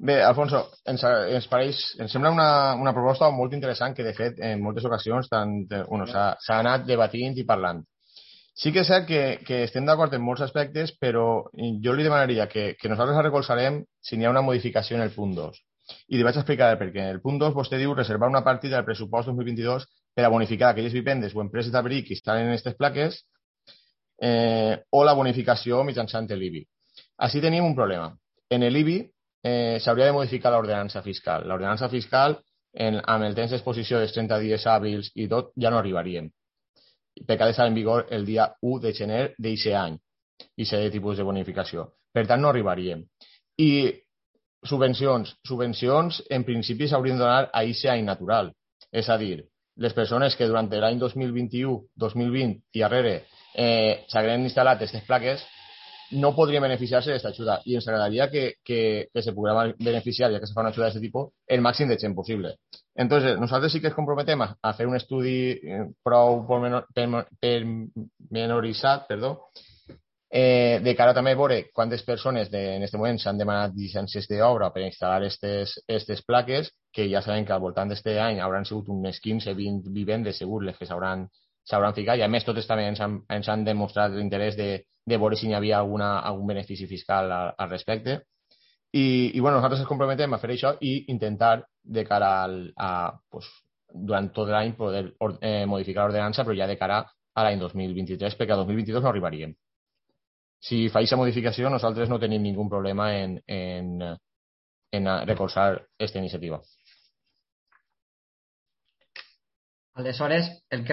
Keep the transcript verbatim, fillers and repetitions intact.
Bé, Alfonso, ens, ens, pareix, ens sembla una, una proposta molt interessant que, de fet, en moltes ocasions tant, bueno, s'ha anat debatint i parlant. Sí que és cert que, que estem d'acord en molts aspectes, però jo li demanaria que, que nosaltres la recolzarem si n'hi ha una modificació en el punt dos. I li vaig explicar per què. En el punt dos vostè diu reservar una partida del pressupost dos mil vint-i-dos per a bonificar aquelles vivendes o empreses d'abric que instal·len en aquestes plaques eh, o la bonificació mitjançant l'I B I. Així tenim un problema. En l'I B I eh, s'hauria de modificar l'ordenança fiscal. L'ordenança fiscal, en, amb el temps d'exposició dels trenta dies hàbils i tot, ja no arribaríem. Perquè ha d'estar en vigor el dia u de gener d'aquest any i ser de tipus de bonificació. Per tant, no arribaríem. I subvencions. Subvencions, en principi, s'haurien de donar a aquest any natural. És a dir, les persones que durant l'any dos mil vint-i-u, dos mil vint i darrere eh, s'hagueren instal·lat aquestes plaques no podrien beneficiar-se d'aquesta ajuda i ens agradaria que, que, que se poguera beneficiar, ja que se fa una ajuda d'aquest tipus, el màxim de gent possible. Entonces, nosaltres sí que ens comprometem a, a fer un estudi prou pormenoritzat, perdó, eh, de cara també a veure quantes persones de, en aquest moment s'han demanat llicències d'obra per instal·lar aquestes plaques, que ja sabem que al voltant d'aquest any hauran sigut unes quinze vint vivendes segur les que s'hauran s'hauran ficat, i a més totes també ens han, ens han demostrat l'interès de, de veure si hi havia alguna, algun benefici fiscal al, al respecte. I, i bueno, nosaltres ens comprometem a fer això i intentar de cara al, a, pues, durant tot l'any poder eh, modificar l'ordenança, però ja de cara a l'any dos mil vint-i-tres, perquè a dos mil vint-i-dos no arribaríem. Si fa aquesta modificació, nosaltres no tenim ningú problema en, en, en recolzar aquesta iniciativa. Aleshores, el que